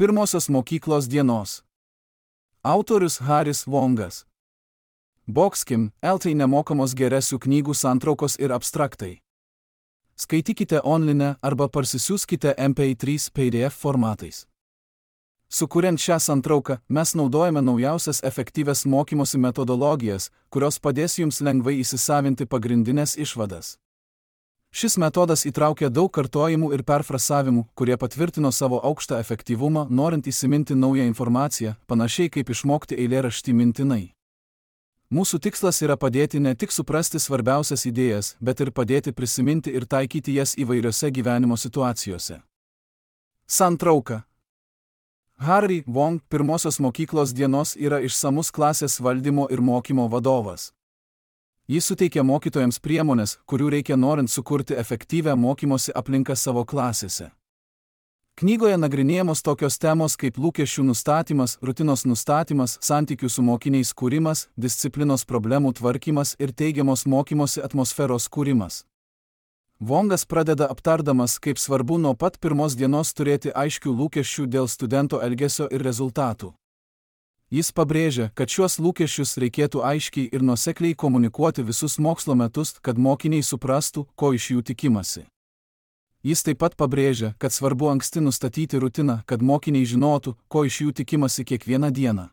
Pirmosios mokyklos dienos. Autorius Haris Vongas. Boxkim, LT nemokamos geresių knygų santraukos ir abstraktai. Skaitykite online arba parsisiųskite MP3 PDF formatais. Sukuriant šią santrauką, mes naudojame naujausias efektyvias mokymosi metodologijas, kurios padės jums lengvai įsisavinti pagrindinės išvadas. Šis metodas įtraukia daug kartojimų ir perfrasavimų, kurie patvirtino savo aukštą efektyvumą, norint įsiminti naują informaciją, panašiai kaip išmokti eilėraštį mintinai. Mūsų tikslas yra padėti ne tik suprasti svarbiausias idėjas, bet ir padėti prisiminti ir taikyti jas įvairiose gyvenimo situacijose. Santrauka. Harry Vong pirmosios mokyklos dienos yra išsamus klasės valdymo ir mokymo vadovas. Jis suteikia mokytojams priemonės, kurių reikia norint sukurti efektyvią mokymosi aplinką savo klasėse. Knygoje nagrinėjamos tokios temos kaip lūkesčių nustatymas, rutinos nustatymas, santykių su mokiniais kūrimas, disciplinos problemų tvarkymas ir teigiamos mokymosi atmosferos kūrimas. Vongas pradeda aptardamas, kaip svarbu nuo pat pirmos dienos turėti aiškių lūkesčių dėl studento elgesio ir rezultatų. Jis pabrėžia, kad šiuos lūkesčius reikėtų aiškiai ir nuosekliai komunikuoti visus mokslo metus, kad mokiniai suprastų, ko iš jų tikimasi. Jis taip pat pabrėžia, kad svarbu anksti nustatyti rutiną, kad mokiniai žinotų, ko iš jų tikimasi kiekvieną dieną.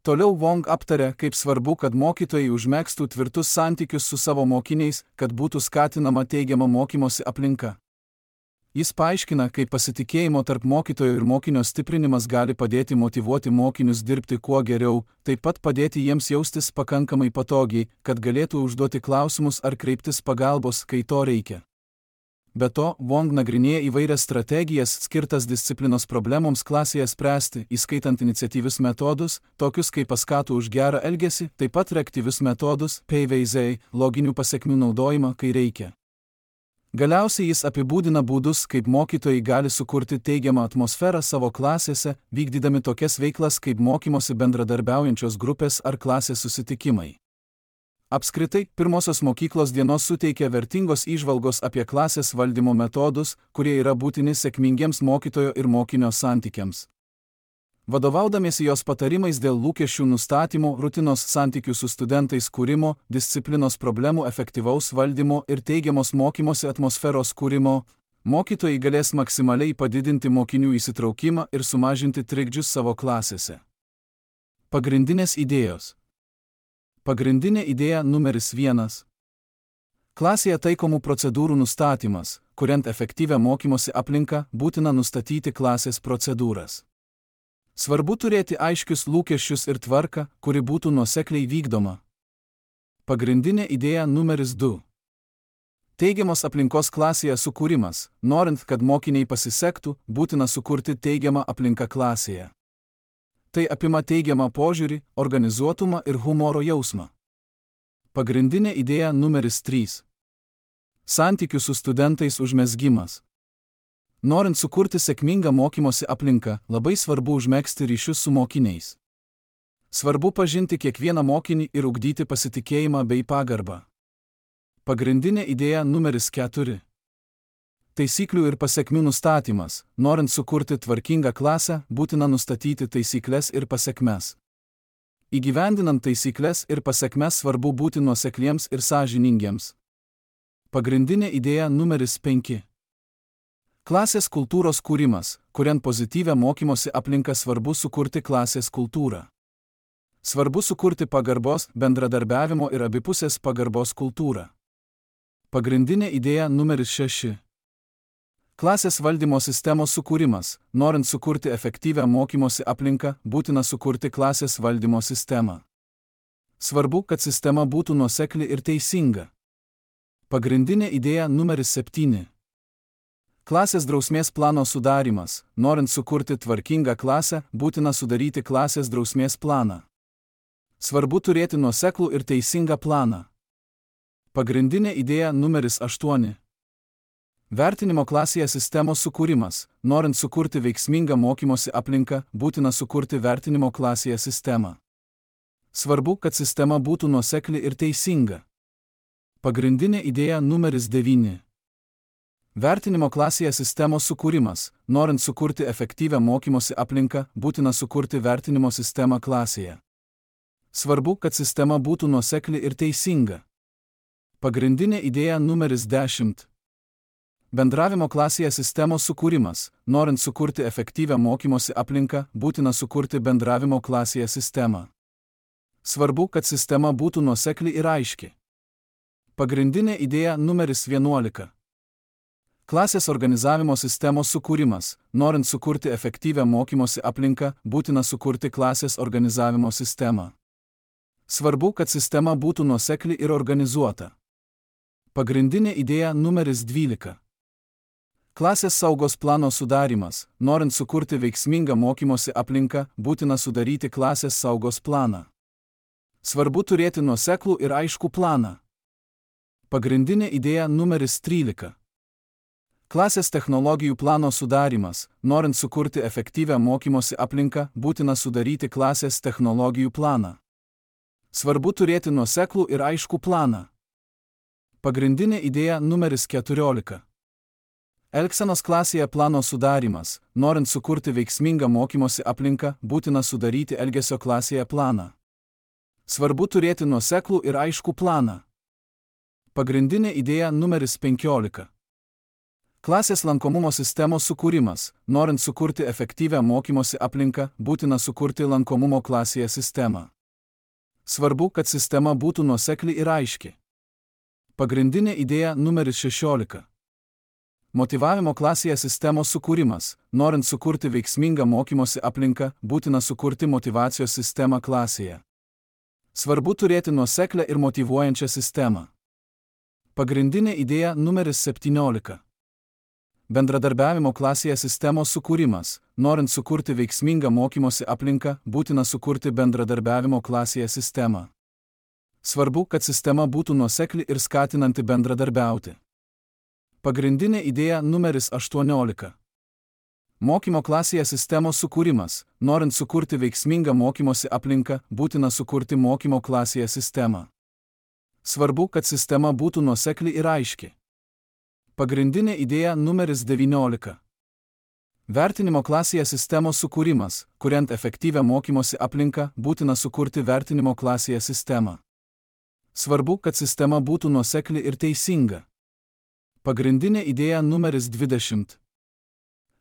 Toliau Vong aptarė, kaip svarbu, kad mokytojai užmegztų tvirtus santykius su savo mokiniais, kad būtų skatinama teigiama mokymosi aplinka. Jis paaiškina, kaip pasitikėjimo tarp mokytojo ir mokinio stiprinimas gali padėti motyvuoti mokinius dirbti kuo geriau, taip pat padėti jiems jaustis pakankamai patogiai, kad galėtų užduoti klausimus ar kreiptis pagalbos, kai to reikia. Be to, Vong nagrinėja įvairias strategijas skirtas disciplinos problemoms klasėje spręsti, įskaitant iniciatyvius metodus, tokius kaip paskatų už gerą elgesį, taip pat reaktyvius metodus, PVZ, loginių pasekmių naudojimą, kai reikia. Galiausiai jis apibūdina būdus, kaip mokytojai gali sukurti teigiamą atmosferą savo klasėse, vykdydami tokias veiklas kaip mokymosi bendradarbiaujančios grupės ar klasės susitikimai. Apskritai, pirmosios mokyklos dienos suteikia vertingos įžvalgos apie klasės valdymo metodus, kurie yra būtini sėkmingiems mokytojo ir mokinio santykiams. Vadovaudamiesi jos patarimais dėl lūkesčių nustatymo, rutinos santykių su studentais kūrimo, disciplinos problemų efektyvaus valdymo ir teigiamos mokymosi atmosferos kūrimo, mokytojai galės maksimaliai padidinti mokinių įsitraukimą ir sumažinti trikdžius savo klasėse. Pagrindinės idėjos. Pagrindinė idėja numeris 1. Klasėje taikomų procedūrų nustatymas. Kuriant efektyvią mokymosi aplinką, būtina nustatyti klasės procedūras. Svarbu turėti aiškius lūkesčius ir tvarką, kuri būtų nuosekliai vykdoma. Pagrindinė idėja numeris 2. Teigiamos aplinkos klasėje sukūrimas. Norint, kad mokiniai pasisektų, būtina sukurti teigiamą aplinką klasėje. Tai apima teigiamą požiūrį, organizuotumą ir humoro jausmą. Pagrindinė idėja numeris 3. Santykių su studentais užmezgimas. Norint sukurti sėkmingą mokymosi aplinką, labai svarbu užmegzti ryšius su mokiniais. Svarbu pažinti kiekvieną mokinį ir ugdyti pasitikėjimą bei pagarbą. Pagrindinė idėja numeris 4. Taisyklių ir pasekmių nustatymas. Norint sukurti tvarkingą klasę, būtina nustatyti taisykles ir pasekmes. Įgyvendinant taisykles ir pasekmes svarbu būti nuosekliems ir sąžiningiems. Pagrindinė idėja numeris 5. Klasės kultūros kūrimas. Kuriant pozityvią mokymosi aplinką, svarbu sukurti klasės kultūrą. Svarbu sukurti pagarbos, bendradarbiavimo ir abipusės pagarbos kultūrą. Pagrindinė idėja numeris 6. Klasės valdymo sistemos sukūrimas. Norint sukurti efektyvią mokymosi aplinką, būtina sukurti klasės valdymo sistemą. Svarbu, kad sistema būtų nuosekli ir teisinga. Pagrindinė idėja numeris 7. Klasės drausmės plano sudarimas. Norint sukurti tvarkingą klasę, būtina sudaryti klasės drausmės planą. Svarbu turėti nuoseklų ir teisingą planą. Pagrindinė idėja numeris 8. Vertinimo klasėje sistemos sukūrimas. Norint sukurti veiksmingą mokymosi aplinką, būtina sukurti vertinimo klasėje sistemą. Svarbu, kad sistema būtų nuosekli ir teisinga. Pagrindinė idėja numeris 9. Vertinimo klasėje sistemos sukūrimas. Norint sukurti efektyvią mokymosi aplinką, būtina sukurti vertinimo sistemą klasėje. Svarbu, kad sistema būtų nuosekli ir teisinga. Pagrindinė idėja numeris 10. Bendravimo klasėje sistemos sukūrimas. Norint sukurti efektyvią mokymosi aplinką, būtina sukurti bendravimo klasėje sistemą. Svarbu, kad sistema būtų nuosekli ir aiški. Pagrindinė idėja numeris 11. Klasės organizavimo sistemos sukūrimas. Norint sukurti efektyvią mokymosi aplinką, būtina sukurti klasės organizavimo sistemą. Svarbu, kad sistema būtų nuosekli ir organizuota. Pagrindinė idėja numeris 12. Klasės saugos plano sudarymas. Norint sukurti veiksmingą mokymosi aplinką, būtina sudaryti klasės saugos planą. Svarbu turėti nuoseklų ir aiškų planą. Pagrindinė idėja numeris 13. Klasės technologijų plano sudarymas. Norint sukurti efektyvią mokymosi aplinką, būtina sudaryti klasės technologijų planą. Svarbu turėti nuoseklų ir aiškų planą. Pagrindinė idėja numeris 14. Elgsenos klasėje plano sudarymas. Norint sukurti veiksmingą mokymosi aplinką, būtina sudaryti elgesio klasėje planą. Svarbu turėti nuoseklų ir aiškų planą. Pagrindinė idėja numeris 15. Klasės lankomumo sistemos sukūrimas. Norint sukurti efektyvią mokymosi aplinką, būtina sukurti lankomumo klasėje sistemą. Svarbu, kad sistema būtų nuosekli ir aiški. Pagrindinė idėja numeris 16. Motyvavimo klasėje sistemos sukūrimas. Norint sukurti veiksmingą mokymosi aplinką, būtina sukurti motyvacijos sistemą klasėje. Svarbu turėti nuoseklę ir motyvuojančią sistemą. Pagrindinė idėja numeris 17. Bendradarbiavimo klasėje sistemos sukūrimas. Norint sukurti veiksmingą mokymosi aplinką, būtina sukurti bendradarbiavimo klasėje sistemą. Svarbu, kad sistema būtų nuosekli ir skatinanti bendradarbiauti. Pagrindinė idėja numeris 18. Mokymo klasėje sistemos sukūrimas. Norint sukurti veiksmingą mokymosi aplinką, būtina sukurti mokymo klasėje sistemą. Svarbu, kad sistema būtų nuosekli ir aiški. Pagrindinė idėja numeris 19. Vertinimo klasėje sistemos sukūrimas. Kuriant efektyvią mokymosi aplinką, būtina sukurti vertinimo klasėje sistemą. Svarbu, kad sistema būtų nuosekli ir teisinga. Pagrindinė idėja numeris 20.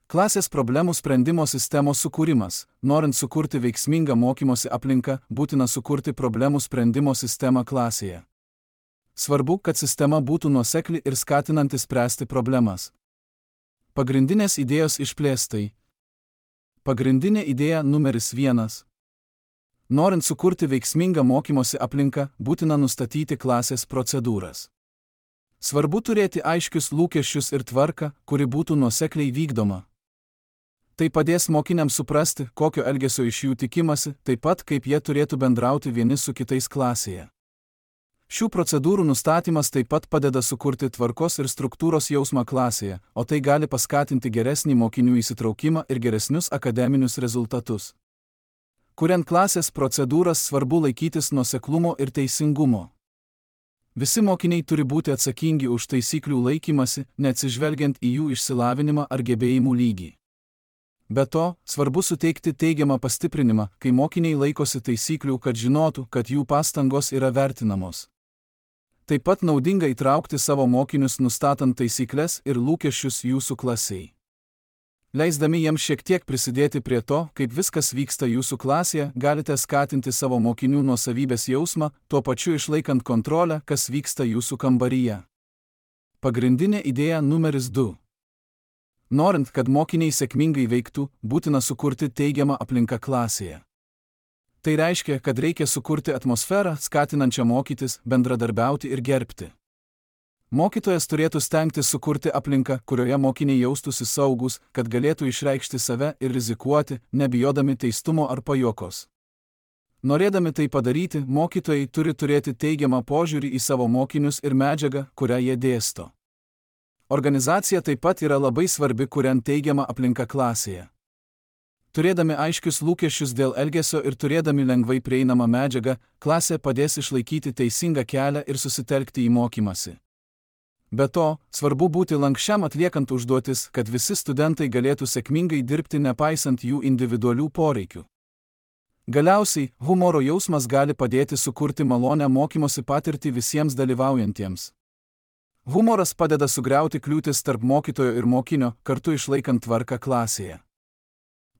Klasės problemų sprendimo sistemos sukūrimas. Norint sukurti veiksmingą mokymosi aplinką, būtina sukurti problemų sprendimo sistemą klasėje. Svarbu, kad sistema būtų nuosekli ir skatinanti spręsti problemas. Pagrindinės idėjos išplėstai. Pagrindinė idėja numeris 1. Norint sukurti veiksmingą mokymosi aplinką, būtina nustatyti klasės procedūras. Svarbu turėti aiškius lūkesčius ir tvarką, kuri būtų nuosekliai vykdoma. Tai padės mokiniams suprasti, kokio elgesio iš jų tikimasi, taip pat kaip jie turėtų bendrauti vieni su kitais klasėje. Šių procedūrų nustatymas taip pat padeda sukurti tvarkos ir struktūros jausmą klasėje, o tai gali paskatinti geresnį mokinių įsitraukimą ir geresnius akademinius rezultatus. Kuriant klasės procedūras, svarbu laikytis nuoseklumo ir teisingumo. Visi mokiniai turi būti atsakingi už taisyklių laikymasi, neatsižvelgiant į jų išsilavinimą ar gebėjimų lygį. Be to, svarbu suteikti teigiamą pastiprinimą, kai mokiniai laikosi taisyklių, kad žinotų, kad jų pastangos yra vertinamos. Taip pat naudinga įtraukti savo mokinius nustatant taisyklės ir lūkesčius jūsų klasiai. Leisdami jiems šiek tiek prisidėti prie to, kaip viskas vyksta jūsų klasėje, galite skatinti savo mokinių nuosavybės jausmą, tuo pačiu išlaikant kontrolę, kas vyksta jūsų kambaryje. Pagrindinė idėja numeris 2. Norint, kad mokiniai sėkmingai veiktų, būtina sukurti teigiamą aplinką klasėje. Tai reiškia, kad reikia sukurti atmosferą, skatinančią mokytis, bendradarbiauti ir gerbti. Mokytojas turėtų stengtis sukurti aplinką, kurioje mokiniai jaustųsi saugus, kad galėtų išreikšti save ir rizikuoti, nebijodami teistumo ar pajuokos. Norėdami tai padaryti, mokytojai turi turėti teigiamą požiūrį į savo mokinius ir medžiagą, kurią jie dėsto. Organizacija taip pat yra labai svarbi, kuriant teigiamą aplinką klasėje. Turėdami aiškius lūkesčius dėl elgesio ir turėdami lengvai prieinamą medžiagą, klasė padės išlaikyti teisingą kelią ir susitelkti į mokymąsi. Be to, svarbu būti lankščiam atliekant užduotis, kad visi studentai galėtų sėkmingai dirbti nepaisant jų individualių poreikių. Galiausiai, humoro jausmas gali padėti sukurti malonią mokymosi patirtį visiems dalyvaujantiems. Humoras padeda sugriauti kliūtis tarp mokytojo ir mokinio, kartu išlaikant tvarką klasėje.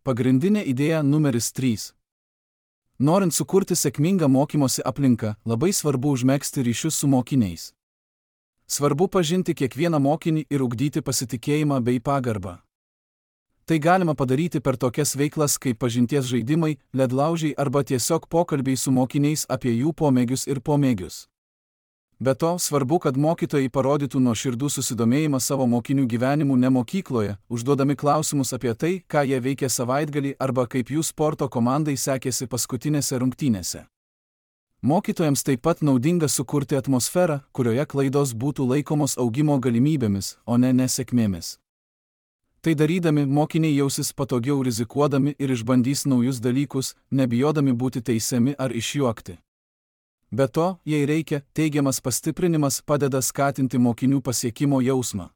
Pagrindinė idėja numeris 3. Norint sukurti sėkmingą mokymosi aplinką, labai svarbu užmegzti ryšius su mokiniais. Svarbu pažinti kiekvieną mokinį ir ugdyti pasitikėjimą bei pagarbą. Tai galima padaryti per tokias veiklas kaip pažinties žaidimai, ledlaužiai arba tiesiog pokalbiai su mokiniais apie jų pomėgius ir pomėgius. Be to, svarbu, kad mokytojai parodytų nuoširdų susidomėjimą savo mokinių gyvenimu ne mokykloje, užduodami klausimus apie tai, ką jie veikia savaitgalį arba kaip jų sporto komandai sekėsi paskutinėse rungtynėse. Mokytojams taip pat naudinga sukurti atmosferą, kurioje klaidos būtų laikomos augimo galimybėmis, o ne nesėkmėmis. Tai darydami, mokiniai jausis patogiau rizikuodami ir išbandys naujus dalykus, nebijodami būti teisiami ar išjuokti. Be to, jei reikia, teigiamas pastiprinimas padeda skatinti mokinių pasiekimo jausmą.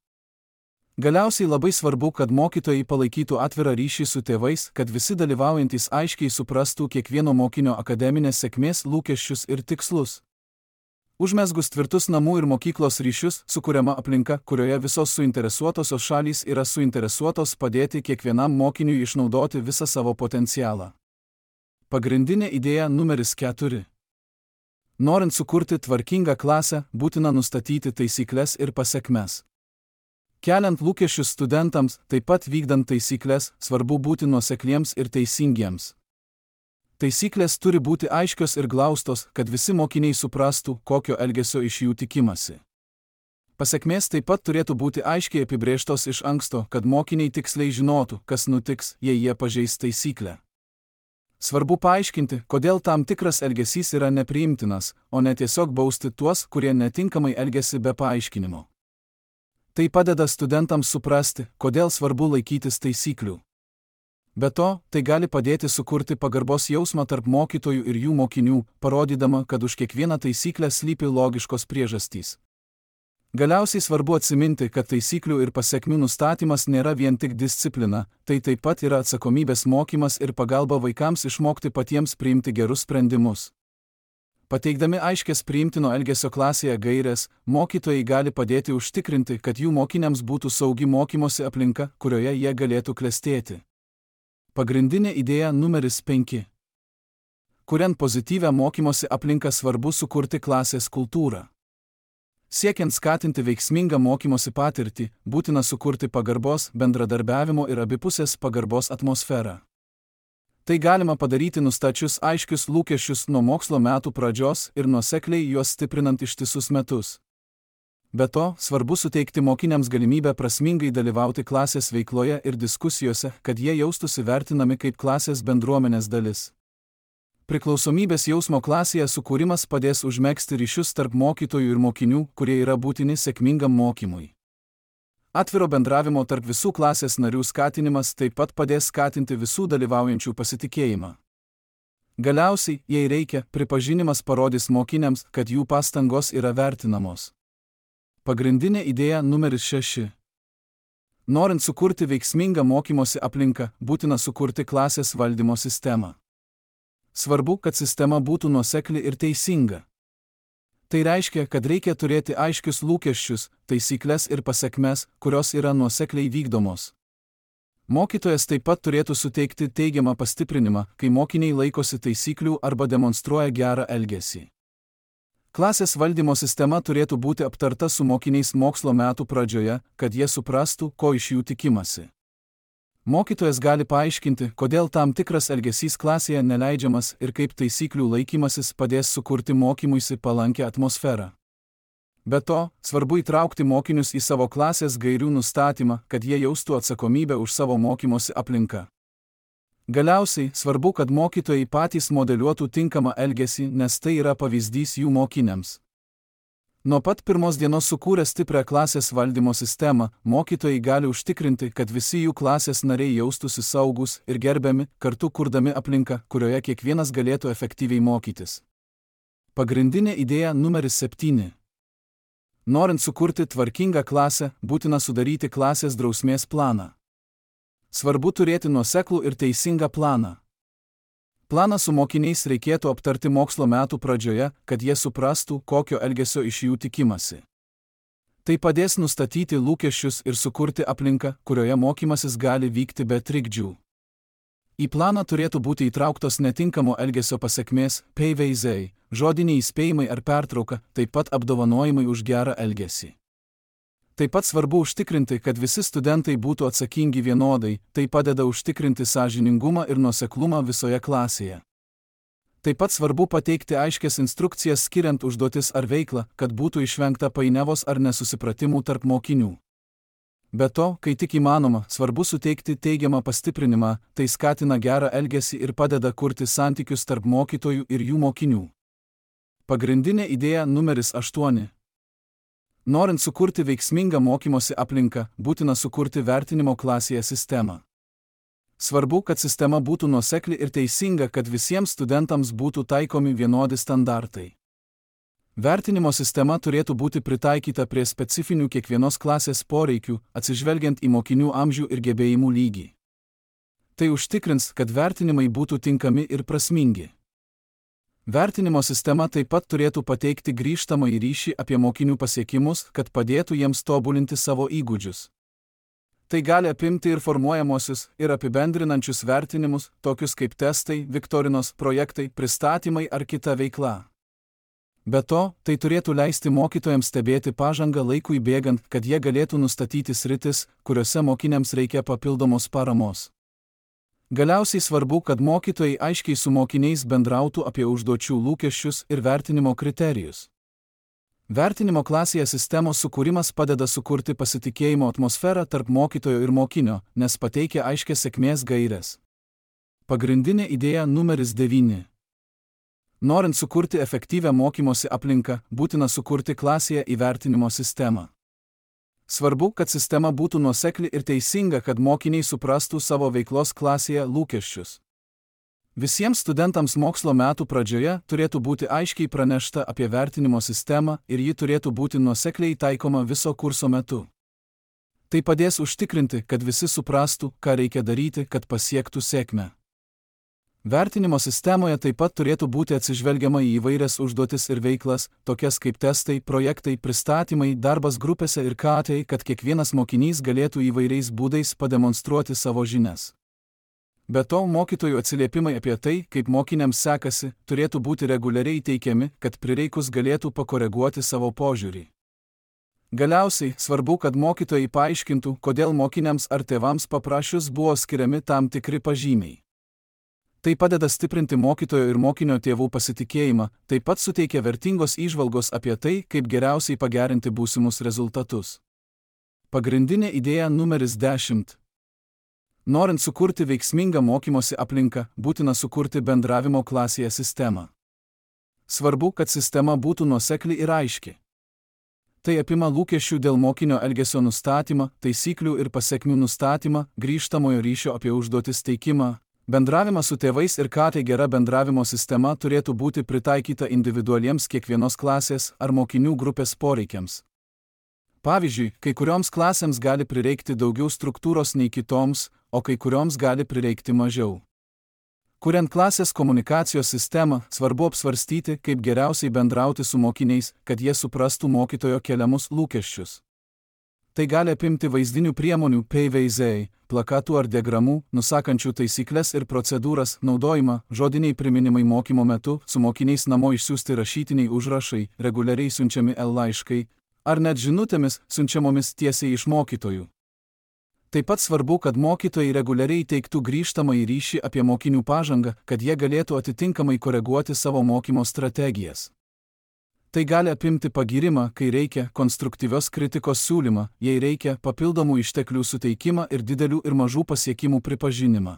Galiausiai labai svarbu, kad mokytojai palaikytų atvirą ryšį su tėvais, kad visi dalyvaujantys aiškiai suprastų kiekvieno mokinio akademinės sėkmės lūkesčius ir tikslus. Užmezgus tvirtus namų ir mokyklos ryšius, sukuriama aplinka, kurioje visos suinteresuotosios šalys yra suinteresuotos padėti kiekvienam mokiniui išnaudoti visą savo potencialą. Pagrindinė idėja numeris 4. Norint sukurti tvarkingą klasę, būtina nustatyti taisyklės ir pasekmes. Keliant lūkesčius studentams, taip pat vykdant taisyklės, svarbu būti nuosekliems ir teisingiems. Taisyklės turi būti aiškios ir glaustos, kad visi mokiniai suprastų, kokio elgesio iš jų tikimasi. Pasekmės taip pat turėtų būti aiškiai apibrėžtos iš anksto, kad mokiniai tiksliai žinotų, kas nutiks, jei jie pažeis taisyklę. Svarbu paaiškinti, kodėl tam tikras elgesys yra nepriimtinas, o ne tiesiog bausti tuos, kurie netinkamai elgiasi be paaiškinimo. Tai padeda studentams suprasti, kodėl svarbu laikytis taisyklių. Be to, tai gali padėti sukurti pagarbos jausmą tarp mokytojų ir jų mokinių, parodydama, kad už kiekvieną taisyklę slypi logiškos priežastys. Galiausiai svarbu atsiminti, kad taisyklių ir pasekmių nustatymas nėra vien tik disciplina, tai taip pat yra atsakomybės mokymas ir pagalba vaikams išmokti patiems priimti gerus sprendimus. Pateikdami aiškias priimtino elgesio klasėje gaires, mokytojai gali padėti užtikrinti, kad jų mokiniams būtų saugi mokymosi aplinka, kurioje jie galėtų klestėti. Pagrindinė idėja numeris 5. Kuriant pozityvią mokymosi aplinką, svarbu sukurti klasės kultūrą. Siekiant skatinti veiksmingą mokymosi patirtį, būtina sukurti pagarbos, bendradarbiavimo ir abipusės pagarbos atmosferą. Tai galima padaryti nustačius aiškius lūkesčius nuo mokslo metų pradžios ir nuosekliai juos stiprinant ištisus metus. Be to, svarbu suteikti mokiniams galimybę prasmingai dalyvauti klasės veikloje ir diskusijose, kad jie jaustųsi vertinami kaip klasės bendruomenės dalis. Priklausomybės jausmo klasėje sukūrimas padės užmegzti ryšius tarp mokytojų ir mokinių, kurie yra būtini sėkmingam mokymui. Atviro bendravimo tarp visų klasės narių skatinimas taip pat padės skatinti visų dalyvaujančių pasitikėjimą. Galiausiai, jei reikia, pripažinimas parodys mokiniams, kad jų pastangos yra vertinamos. Pagrindinė idėja numeris 6. Norint sukurti veiksmingą mokymosi aplinką, būtina sukurti klasės valdymo sistemą. Svarbu, kad sistema būtų nuosekli ir teisinga. Tai reiškia, kad reikia turėti aiškius lūkesčius, taisyklės ir pasekmes, kurios yra nuosekliai vykdomos. Mokytojas taip pat turėtų suteikti teigiamą pastiprinimą, kai mokiniai laikosi taisyklių arba demonstruoja gerą elgesį. Klasės valdymo sistema turėtų būti aptarta su mokiniais mokslo metų pradžioje, kad jie suprastų, ko iš jų tikimasi. Mokytojas gali paaiškinti, kodėl tam tikras elgesys klasėje neleidžiamas ir kaip taisyklių laikymasis padės sukurti mokymuisi palankę atmosferą. Be to, svarbu įtraukti mokinius į savo klasės gairių nustatymą, kad jie jaustų atsakomybę už savo mokymosi aplinką. Galiausiai, svarbu, kad mokytojai patys modeliuotų tinkamą elgesį, nes tai yra pavyzdys jų mokiniams. Nuo pat pirmos dienos sukūrę stiprią klasės valdymo sistemą, mokytojai gali užtikrinti, kad visi jų klasės nariai jaustųsi saugus ir gerbiami, kartu kurdami aplinką, kurioje kiekvienas galėtų efektyviai mokytis. Pagrindinė idėja numeris 7. Norint sukurti tvarkingą klasę, būtina sudaryti klasės drausmės planą. Svarbu turėti nuoseklų ir teisingą planą. Planą su mokiniais reikėtų aptarti mokslo metų pradžioje, kad jie suprastų, kokio elgesio iš jų tikimasi. Tai padės nustatyti lūkesčius ir sukurti aplinką, kurioje mokymasis gali vykti be trikdžių. Į planą turėtų būti įtrauktos netinkamo elgesio pasekmės, pavyzdžiai, žodiniai įspėjimai ar pertrauka, taip pat apdovanojimai už gerą elgesį. Taip pat svarbu užtikrinti, kad visi studentai būtų atsakingi vienodai, tai padeda užtikrinti sąžiningumą ir nuoseklumą visoje klasėje. Taip pat svarbu pateikti aiškias instrukcijas skiriant užduotis ar veiklą, kad būtų išvengta painiavos ar nesusipratimų tarp mokinių. Be to, kai tik įmanoma, svarbu suteikti teigiamą pastiprinimą, tai skatina gerą elgesį ir padeda kurti santykius tarp mokytojų ir jų mokinių. Pagrindinė idėja numeris 8. Norint sukurti veiksmingą mokymosi aplinką, būtina sukurti vertinimo klasėje sistemą. Svarbu, kad sistema būtų nuosekli ir teisinga, kad visiems studentams būtų taikomi vienodi standartai. Vertinimo sistema turėtų būti pritaikyta prie specifinių kiekvienos klasės poreikių, atsižvelgiant į mokinių amžių ir gebėjimų lygį. Tai užtikrins, kad vertinimai būtų tinkami ir prasmingi. Vertinimo sistema taip pat turėtų pateikti grįžtamąjį ryšį apie mokinių pasiekimus, kad padėtų jiems tobulinti savo įgūdžius. Tai gali apimti ir formuojamosius, ir apibendrinančius vertinimus, tokius kaip testai, viktorinos, projektai, pristatymai ar kita veikla. Be to, tai turėtų leisti mokytojams stebėti pažangą laikui bėgant, kad jie galėtų nustatyti sritis, kuriuose mokiniams reikia papildomos paramos. Galiausiai svarbu, kad mokytojai aiškiai su mokiniais bendrautų apie užduočių lūkesčius ir vertinimo kriterijus. Vertinimo klasėje sistemos sukūrimas padeda sukurti pasitikėjimo atmosferą tarp mokytojo ir mokinio, nes pateikia aiškias sėkmės gaires. Pagrindinė idėja numeris 9. Norint sukurti efektyvią mokymosi aplinką, būtina sukurti klasėje įvertinimo sistemą. Svarbu, kad sistema būtų nuosekli ir teisinga, kad mokiniai suprastų savo veiklos klasėje lūkesčius. Visiems studentams mokslo metų pradžioje turėtų būti aiškiai pranešta apie vertinimo sistemą ir ji turėtų būti nuosekliai taikoma viso kurso metu. Tai padės užtikrinti, kad visi suprastų, ką reikia daryti, kad pasiektų sėkmę. Vertinimo sistemoje taip pat turėtų būti atsižvelgiama į įvairias užduotis ir veiklas, tokias kaip testai, projektai, pristatymai, darbas grupėse ir tai, kad kiekvienas mokinys galėtų įvairiais būdais pademonstruoti savo žinias. Be to, mokytojų atsiliepimai apie tai, kaip mokiniams sekasi, turėtų būti reguliariai teikiami, kad prireikus galėtų pakoreguoti savo požiūrį. Galiausiai, svarbu, kad mokytojai paaiškintų, kodėl mokiniams ar tėvams paprašius buvo skiriami tam tikri pažymiai. Tai padeda stiprinti mokytojo ir mokinio tėvų pasitikėjimą, taip pat suteikia vertingos įžvalgos apie tai, kaip geriausiai pagerinti būsimus rezultatus. Pagrindinė idėja numeris 10. Norint sukurti veiksmingą mokymosi aplinką, būtina sukurti bendravimo klasėje sistemą. Svarbu, kad sistema būtų nuosekli ir aiški. Tai apima lūkesčių dėl mokinio elgesio nustatymą, taisyklių ir pasekmių nustatymą, grįžtamojo ryšio apie užduotis teikimą. Bendravimą su tėvais ir tai gera bendravimo sistema turėtų būti pritaikyta individualiems kiekvienos klasės ar mokinių grupės poreikiams. Pavyzdžiui, kai kurioms klasėms gali prireikti daugiau struktūros nei kitoms, o kai kurioms gali prireikti mažiau. Kuriant klasės komunikacijos sistemą, svarbu apsvarstyti, kaip geriausiai bendrauti su mokiniais, kad jie suprastų mokytojo keliamus lūkesčius. Tai gali apimti vaizdinių priemonių, pavyzdžiai, plakatų ar diagramų, nusakančių taisyklės ir procedūras, naudojimą, žodiniai priminimai mokymo metu, su mokiniais namo išsiųsti rašytiniai užrašai, reguliariai siunčiami laiškai, ar net žinutėmis siunčiamomis tiesiai iš mokytojų. Taip pat svarbu, kad mokytojai reguliariai teiktų grįžtamąjį ryšį apie mokinių pažangą, kad jie galėtų atitinkamai koreguoti savo mokymo strategijas. Tai gali apimti pagyrimą, kai reikia, konstruktyvios kritikos siūlymą, jei reikia, papildomų išteklių suteikimą ir didelių ir mažų pasiekimų pripažinimą.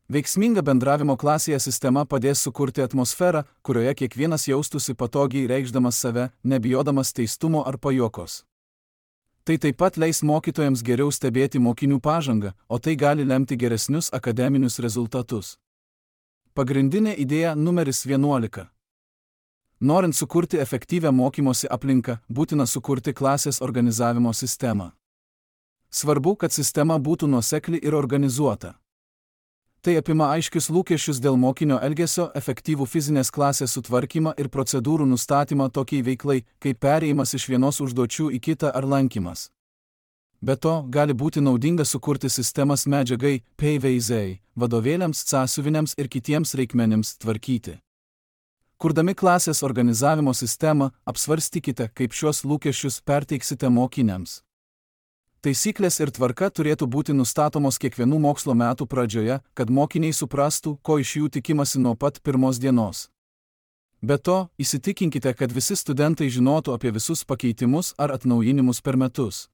Veiksminga bendravimo klasėje sistema padės sukurti atmosferą, kurioje kiekvienas jaustųsi patogiai reikšdamas save, nebijodamas teistumo ar pajuokos. Tai taip pat leis mokytojams geriau stebėti mokinių pažangą, o tai gali lemti geresnius akademinius rezultatus. Pagrindinė idėja numeris 11. Norint sukurti efektyvią mokymosi aplinką, būtina sukurti klasės organizavimo sistemą. Svarbu, kad sistema būtų nuosekli ir organizuota. Tai apima aiškius lūkesčius dėl mokinio elgesio, efektyvų fizinės klasės sutvarkymą ir procedūrų nustatymą tokiai veiklai, kaip perėjimas iš vienos užduočių į kitą ar lankymas. Be to, gali būti naudinga sukurti sistemas medžiagai, PVZ, vadovėliams, sąsiuviniams ir kitiems reikmenims tvarkyti. Kurdami klasės organizavimo sistemą, apsvarstykite, kaip šios lūkesčius perteiksite mokiniams. Taisyklės ir tvarka turėtų būti nustatomos kiekvienų mokslo metų pradžioje, kad mokiniai suprastų, ko iš jų tikimasi nuo pat pirmos dienos. Be to, įsitikinkite, kad visi studentai žinotų apie visus pakeitimus ar atnaujinimus per metus.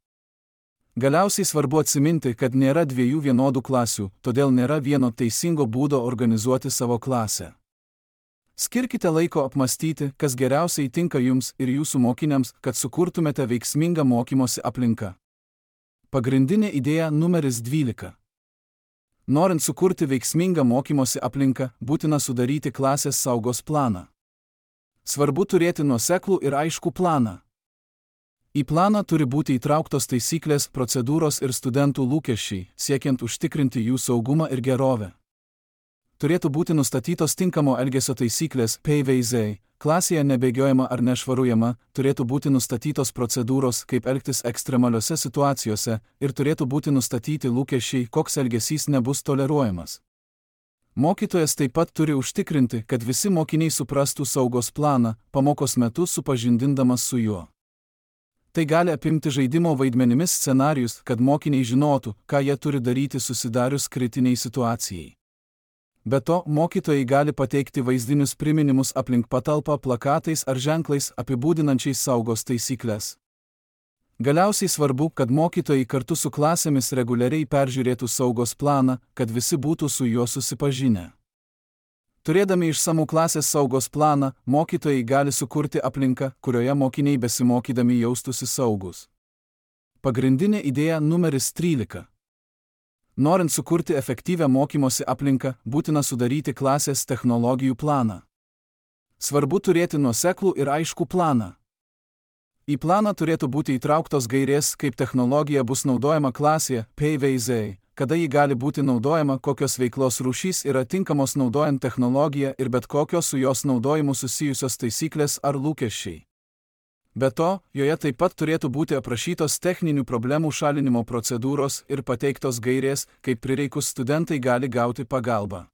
Galiausiai svarbu atsiminti, kad nėra dviejų vienodų klasių, todėl nėra vieno teisingo būdo organizuoti savo klasę. Skirkite laiko apmastyti, kas geriausiai tinka jums ir jūsų mokiniams, kad sukurtumėte veiksmingą mokymosi aplinką. Pagrindinė idėja numeris 12. Norint sukurti veiksmingą mokymosi aplinką, būtina sudaryti klasės saugos planą. Svarbu turėti nuoseklų ir aiškų planą. Į planą turi būti įtrauktos taisyklės, procedūros ir studentų lūkesčiai, siekiant užtikrinti jų saugumą ir gerovę. Turėtų būti nustatytos tinkamo elgesio taisyklės, PVZ, klasėje nebėgiojama ar nešvarujama, turėtų būti nustatytos procedūros, kaip elgtis ekstremaliose situacijose ir turėtų būti nustatyti lūkesčiai, koks elgesys nebus toleruojamas. Mokytojas taip pat turi užtikrinti, kad visi mokiniai suprastų saugos planą, pamokos metu supažindindamas su juo. Tai gali apimti žaidimo vaidmenimis scenarijus, kad mokiniai žinotų, ką jie turi daryti susidarius kritiniai situacijai. Be to, mokytojai gali pateikti vaizdinius priminimus aplink patalpą plakatais ar ženklais apibūdinančiais saugos taisyklės. Galiausiai svarbu, kad mokytojai kartu su klasėmis reguliariai peržiūrėtų saugos planą, kad visi būtų su juo susipažinę. Turėdami išsamų klasės saugos planą, mokytojai gali sukurti aplinką, kurioje mokiniai besimokydami jaustųsi saugus. Pagrindinė idėja numeris 13. Norint sukurti efektyvią mokymosi aplinką, būtina sudaryti klasės technologijų planą. Svarbu turėti nuoseklų ir aiškų planą. Į planą turėtų būti įtrauktos gairės, kaip technologija bus naudojama klasėje, PVZ, kada ji gali būti naudojama, kokios veiklos rūšys yra tinkamos naudojant technologiją ir bet kokios su jos naudojimu susijusios taisyklės ar lūkesčiai. Be to, joje taip pat turėtų būti aprašytos techninių problemų šalinimo procedūros ir pateiktos gairės, kaip prireikus studentai gali gauti pagalbą.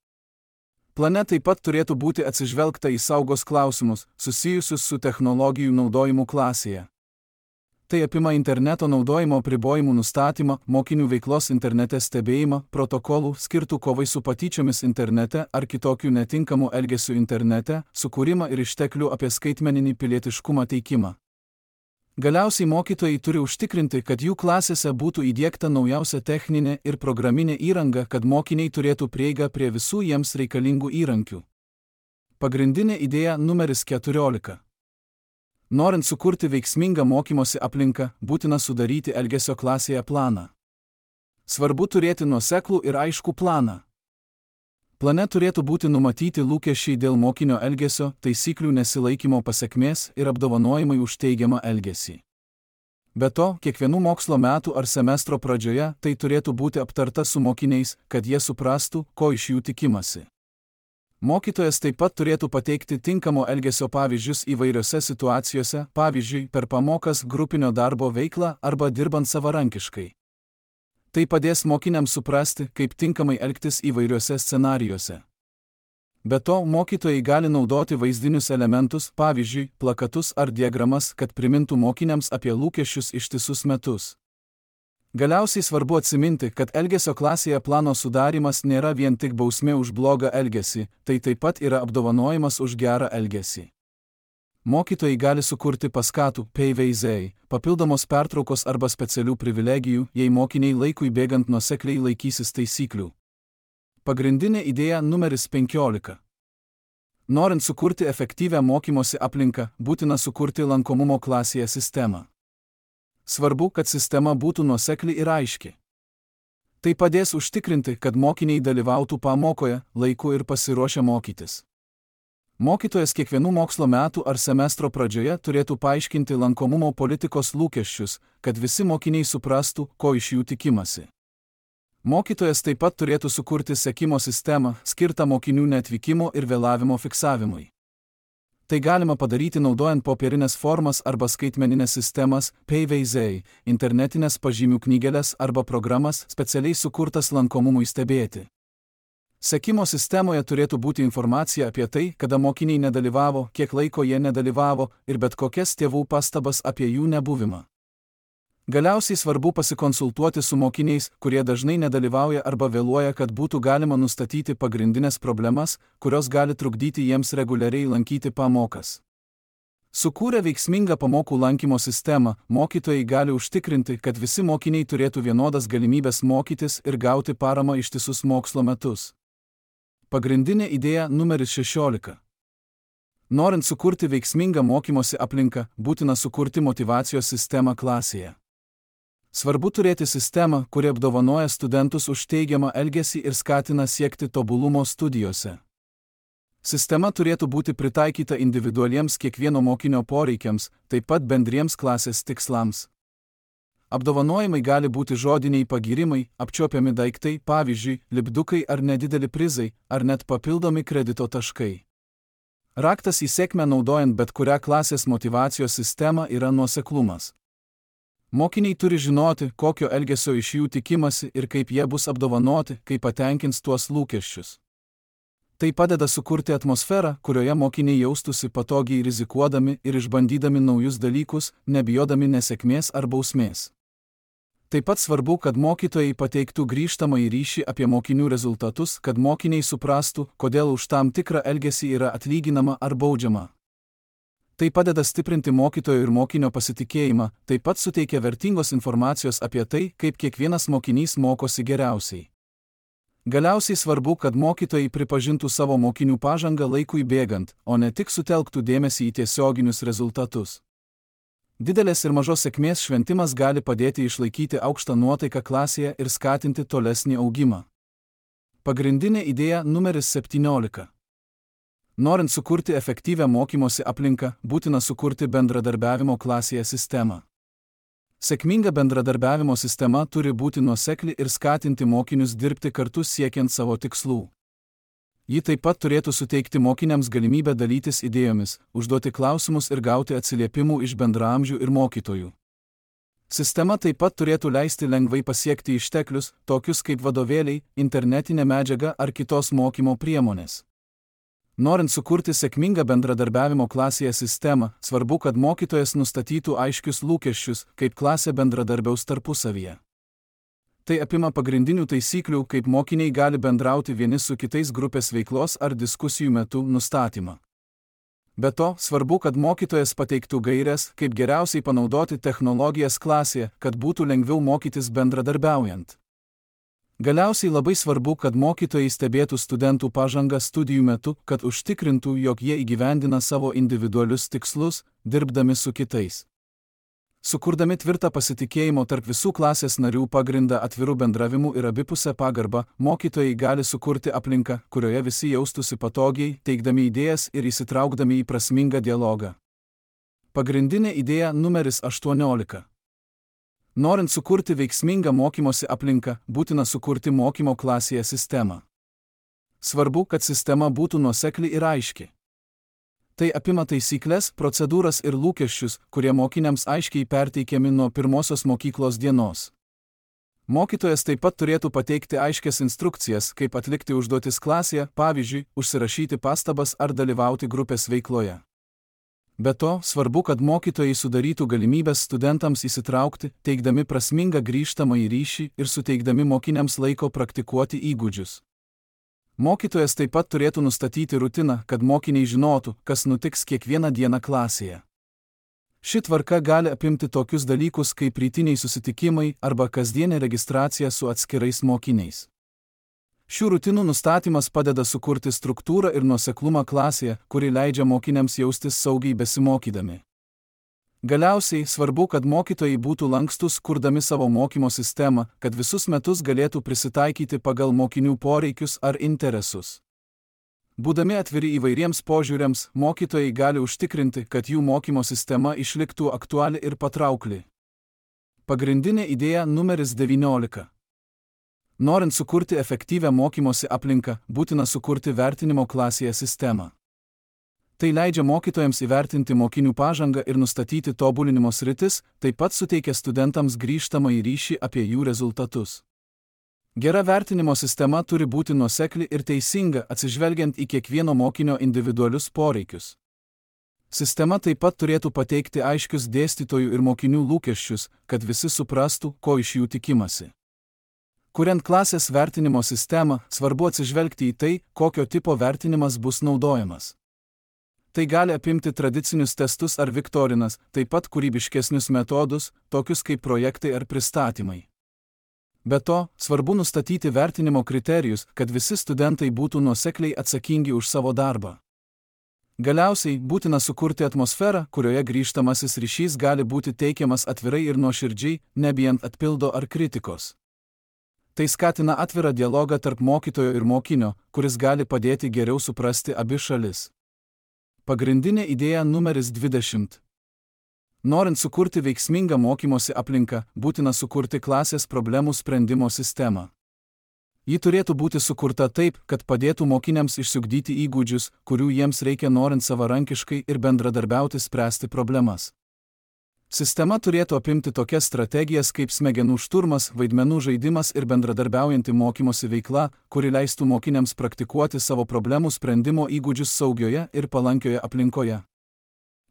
Plane taip pat turėtų būti atsižvelgta į saugos klausimus, susijusius su technologijų naudojimu klasėje. Tai apima interneto naudojimo apribojimų nustatymą, mokinių veiklos internete stebėjimą, protokolų skirtų kovai su patyčiomis internete ar kitokių netinkamų elgesių internete, sukūrimą ir išteklių apie skaitmeninį pilietiškumą teikimą. Galiausiai mokytojai turi užtikrinti, kad jų klasėse būtų įdiegta naujausia techninė ir programinė įranga, kad mokiniai turėtų prieigą prie visų jiems reikalingų įrankių. Pagrindinė idėja numeris 14. Norint sukurti veiksmingą mokymosi aplinką, būtina sudaryti elgesio klasėje planą. Svarbu turėti nuoseklų ir aiškų planą. Plane turėtų būti numatyti lūkesčiai dėl mokinio elgesio, taisyklių nesilaikymo pasekmės ir apdovanojimai už teigiamą elgesį. Be to, kiekvienų mokslo metų ar semestro pradžioje tai turėtų būti aptarta su mokiniais, kad jie suprastų, ko iš jų tikimasi. Mokytojas taip pat turėtų pateikti tinkamo elgesio pavyzdžius įvairiose situacijose, pavyzdžiui, per pamokas, grupinio darbo veiklą arba dirbant savarankiškai. Tai padės mokiniams suprasti, kaip tinkamai elgtis įvairiuose scenarijuose. Be to, mokytojai gali naudoti vaizdinius elementus, pavyzdžiui, plakatus ar diagramas, kad primintų mokiniams apie lūkesčius ištisus metus. Galiausiai svarbu atsiminti, kad elgesio klasėje plano sudarimas nėra vien tik bausmė už blogą elgesį, tai taip pat yra apdovanojimas už gerą elgesį. Mokytojai gali sukurti paskatų, PVZ, papildomos pertraukos arba specialių privilegijų, jei mokiniai laikui bėgant nuosekliai laikysis taisyklių. Pagrindinė idėja numeris 15. Norint sukurti efektyvią mokymosi aplinką, būtina sukurti lankomumo klasėje sistemą. Svarbu, kad sistema būtų nuosekli ir aiški. Tai padės užtikrinti, kad mokiniai dalyvautų pamokoje, laiku ir pasiruošę mokytis. Mokytojas kiekvienų mokslo metų ar semestro pradžioje turėtų paaiškinti lankomumo politikos lūkesčius, kad visi mokiniai suprastų, ko iš jų tikimasi. Mokytojas taip pat turėtų sukurti sekimo sistemą, skirtą mokinių neatvykimo ir vėlavimo fiksavimui. Tai galima padaryti naudojant popierinės formas arba skaitmeninės sistemas, PVZ, internetinės pažymių knygeles arba programas specialiai sukurtas lankomumui stebėti. Sekimo sistemoje turėtų būti informacija apie tai, kada mokiniai nedalyvavo, kiek laiko jie nedalyvavo ir bet kokias tėvų pastabas apie jų nebuvimą. Galiausiai svarbu pasikonsultuoti su mokiniais, kurie dažnai nedalyvauja arba vėluoja, kad būtų galima nustatyti pagrindinės problemas, kurios gali trukdyti jiems reguliariai lankyti pamokas. Sukūrę veiksmingą pamokų lankymo sistemą, mokytojai gali užtikrinti, kad visi mokiniai turėtų vienodas galimybės mokytis ir gauti paramą ištisus mokslo metus. Pagrindinė idėja numeris 16. Norint sukurti veiksmingą mokymosi aplinką, būtina sukurti motyvacijos sistemą klasėje. Svarbu turėti sistemą, kuri apdovanoja studentus už teigiamą elgesį ir skatina siekti tobulumo studijose. Sistema turėtų būti pritaikyta individualiems kiekvieno mokinio poreikiams, taip pat bendriems klasės tikslams. Apdovanojimai gali būti žodiniai pagyrimai, apčiuopiami daiktai, pavyzdžiui, lipdukai ar nedideli prizai, ar net papildomi kredito taškai. Raktas į sėkmę naudojant bet kurią klasės motyvacijos sistemą yra nuoseklumas. Mokiniai turi žinoti, kokio elgesio iš jų tikimasi ir kaip jie bus apdovanoti, kai patenkins tuos lūkesčius. Tai padeda sukurti atmosferą, kurioje mokiniai jaustųsi patogiai rizikuodami ir išbandydami naujus dalykus, nebijodami nesėkmės ar bausmės. Taip pat svarbu, kad mokytojai pateiktų grįžtamąjį ryšį apie mokinių rezultatus, kad mokiniai suprastų, kodėl už tam tikrą elgesį yra atlyginama ar baudžiama. Tai padeda stiprinti mokytojo ir mokinio pasitikėjimą, taip pat suteikia vertingos informacijos apie tai, kaip kiekvienas mokinys mokosi geriausiai. Galiausiai svarbu, kad mokytojai pripažintų savo mokinių pažangą laikui bėgant, o ne tik sutelktų dėmesį į tiesioginius rezultatus. Didelės ir mažos sėkmės šventimas gali padėti išlaikyti aukštą nuotaiką klasėje ir skatinti tolesnį augimą. Pagrindinė idėja numeris 17. Norint sukurti efektyvią mokymosi aplinką, būtina sukurti bendradarbiavimo klasėje sistemą. Sėkminga bendradarbiavimo sistema turi būti nuosekli ir skatinti mokinius dirbti kartu siekiant savo tikslų. Ji taip pat turėtų suteikti mokiniams galimybę dalytis idėjomis, užduoti klausimus ir gauti atsiliepimų iš bendraamžių ir mokytojų. Sistema taip pat turėtų leisti lengvai pasiekti išteklius, tokius kaip vadovėliai, internetinė medžiaga ar kitos mokymo priemonės. Norint sukurti sėkmingą bendradarbiavimo klasėje sistemą, svarbu, kad mokytojas nustatytų aiškius lūkesčius, kaip klasė bendradarbiaus tarpusavyje. Tai apima pagrindinių taisyklių, kaip mokiniai gali bendrauti vieni su kitais grupės veiklos ar diskusijų metu nustatymą. Be to, svarbu, kad mokytojas pateiktų gaires, kaip geriausiai panaudoti technologijas klasėje, kad būtų lengviau mokytis bendradarbiaujant. Galiausiai labai svarbu, kad mokytojai stebėtų studentų pažangą studijų metu, kad užtikrintų, jog jie įgyvendina savo individualius tikslus, dirbdami su kitais. Sukurdami tvirtą pasitikėjimo tarp visų klasės narių pagrindą atvirų bendravimų ir abipusę pagarbą, mokytojai gali sukurti aplinką, kurioje visi jaustųsi patogiai, teikdami idėjas ir įsitraukdami į prasmingą dialogą. Pagrindinė idėja numeris 18. Norint sukurti veiksmingą mokymosi aplinką, būtina sukurti mokymo klasėje sistemą. Svarbu, kad sistema būtų nuosekli ir aiški. Tai apima taisyklės, procedūras ir lūkesčius, kurie mokiniams aiškiai perteikiami nuo pirmosios mokyklos dienos. Mokytojas taip pat turėtų pateikti aiškias instrukcijas, kaip atlikti užduotis klasėje, pavyzdžiui, užsirašyti pastabas ar dalyvauti grupės veikloje. Be to, svarbu, kad mokytojai sudarytų galimybės studentams įsitraukti, teikdami prasmingą grįžtamąjį ryšį ir suteikdami mokiniams laiko praktikuoti įgūdžius. Mokytojas taip pat turėtų nustatyti rutiną, kad mokiniai žinotų, kas nutiks kiekvieną dieną klasėje. Ši tvarka gali apimti tokius dalykus kaip rytiniai susitikimai arba kasdienė registracija su atskirais mokiniais. Šių rutinų nustatymas padeda sukurti struktūrą ir nuoseklumą klasėje, kuri leidžia mokiniams jaustis saugiai besimokydami. Galiausiai svarbu, kad mokytojai būtų lankstus, kurdami savo mokymo sistemą, kad visus metus galėtų prisitaikyti pagal mokinių poreikius ar interesus. Būdami atviri įvairiems požiūriams, mokytojai gali užtikrinti, kad jų mokymo sistema išliktų aktuali ir patraukli. Pagrindinė idėja numeris 19. Norint sukurti efektyvią mokymosi aplinką, būtina sukurti vertinimo klasėje sistemą. Tai leidžia mokytojams įvertinti mokinių pažangą ir nustatyti tobulinimo sritis, taip pat suteikia studentams grįžtamąjį ryšį apie jų rezultatus. Gera vertinimo sistema turi būti nuosekli ir teisinga, atsižvelgiant į kiekvieno mokinio individualius poreikius. Sistema taip pat turėtų pateikti aiškius dėstytojų ir mokinių lūkesčius, kad visi suprastų, ko iš jų tikimasi. Kuriant klasės vertinimo sistemą, svarbu atsižvelgti į tai, kokio tipo vertinimas bus naudojamas. Tai gali apimti tradicinius testus ar viktorinas, taip pat kūrybiškesnius metodus, tokius kaip projektai ar pristatymai. Be to, svarbu nustatyti vertinimo kriterijus, kad visi studentai būtų nuosekliai atsakingi už savo darbą. Galiausiai, būtina sukurti atmosferą, kurioje grįžtamasis ryšys gali būti teikiamas atvirai ir nuoširdžiai, nebijant atpildo ar kritikos. Tai skatina atvirą dialogą tarp mokytojo ir mokinio, kuris gali padėti geriau suprasti abi šalis. Pagrindinė idėja numeris 20. Norint sukurti veiksmingą mokymosi aplinką, būtina sukurti klasės problemų sprendimo sistemą. Ji turėtų būti sukurta taip, kad padėtų mokiniams išsiugdyti įgūdžius, kurių jiems reikia norint savarankiškai ir bendradarbiauti spręsti problemas. Sistema turėtų apimti tokias strategijas kaip smegenų šturmas, vaidmenų žaidimas ir bendradarbiaujanti mokymosi veikla, kuri leistų mokiniams praktikuoti savo problemų sprendimo įgūdžius saugioje ir palankioje aplinkoje.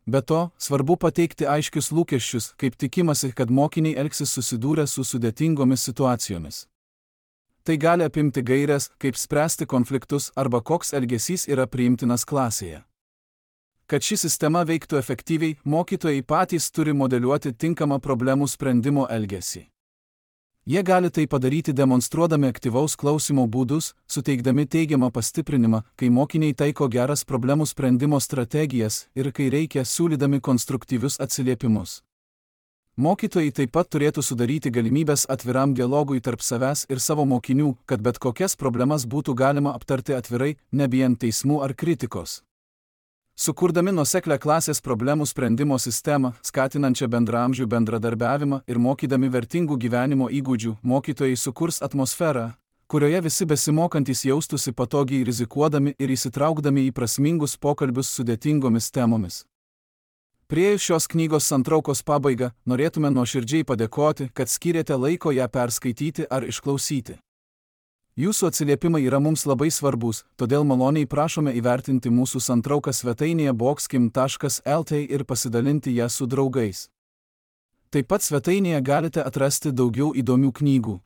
Be to, svarbu pateikti aiškius lūkesčius, kaip tikimasi, kad mokiniai elgsis susidūrę su sudėtingomis situacijomis. Tai gali apimti gaires, kaip spręsti konfliktus arba koks elgesys yra priimtinas klasėje. Kad ši sistema veiktų efektyviai, mokytojai patys turi modeliuoti tinkamą problemų sprendimo elgesį. Jie gali tai padaryti demonstruodami aktyvaus klausymo būdus, suteikdami teigiamą pastiprinimą, kai mokiniai taiko geras problemų sprendimo strategijas ir kai reikia siūlydami konstruktyvius atsiliepimus. Mokytojai taip pat turėtų sudaryti galimybės atviram dialogui tarp savęs ir savo mokinių, kad bet kokias problemas būtų galima aptarti atvirai, nebijant teismų ar kritikos. Sukurdami nuoseklę klasės problemų sprendimo sistemą, skatinančią bendraamžių bendradarbiavimą ir mokydami vertingų gyvenimo įgūdžių, mokytojai sukurs atmosferą, kurioje visi besimokantys jaustųsi patogiai rizikuodami ir įsitraukdami į prasmingus pokalbius sudėtingomis temomis. Priėjus šios knygos santraukos pabaigą, norėtume nuoširdžiai padėkoti, kad skyrėte laiko ją perskaityti ar išklausyti. Jūsų atsiliepimai yra mums labai svarbus, todėl maloniai prašome įvertinti mūsų santrauką svetainėje boxkim.lt ir pasidalinti ją su draugais. Taip pat svetainėje galite atrasti daugiau įdomių knygų.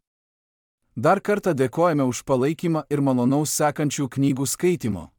Dar kartą dėkojame už palaikymą ir malonaus sekančių knygų skaitimo.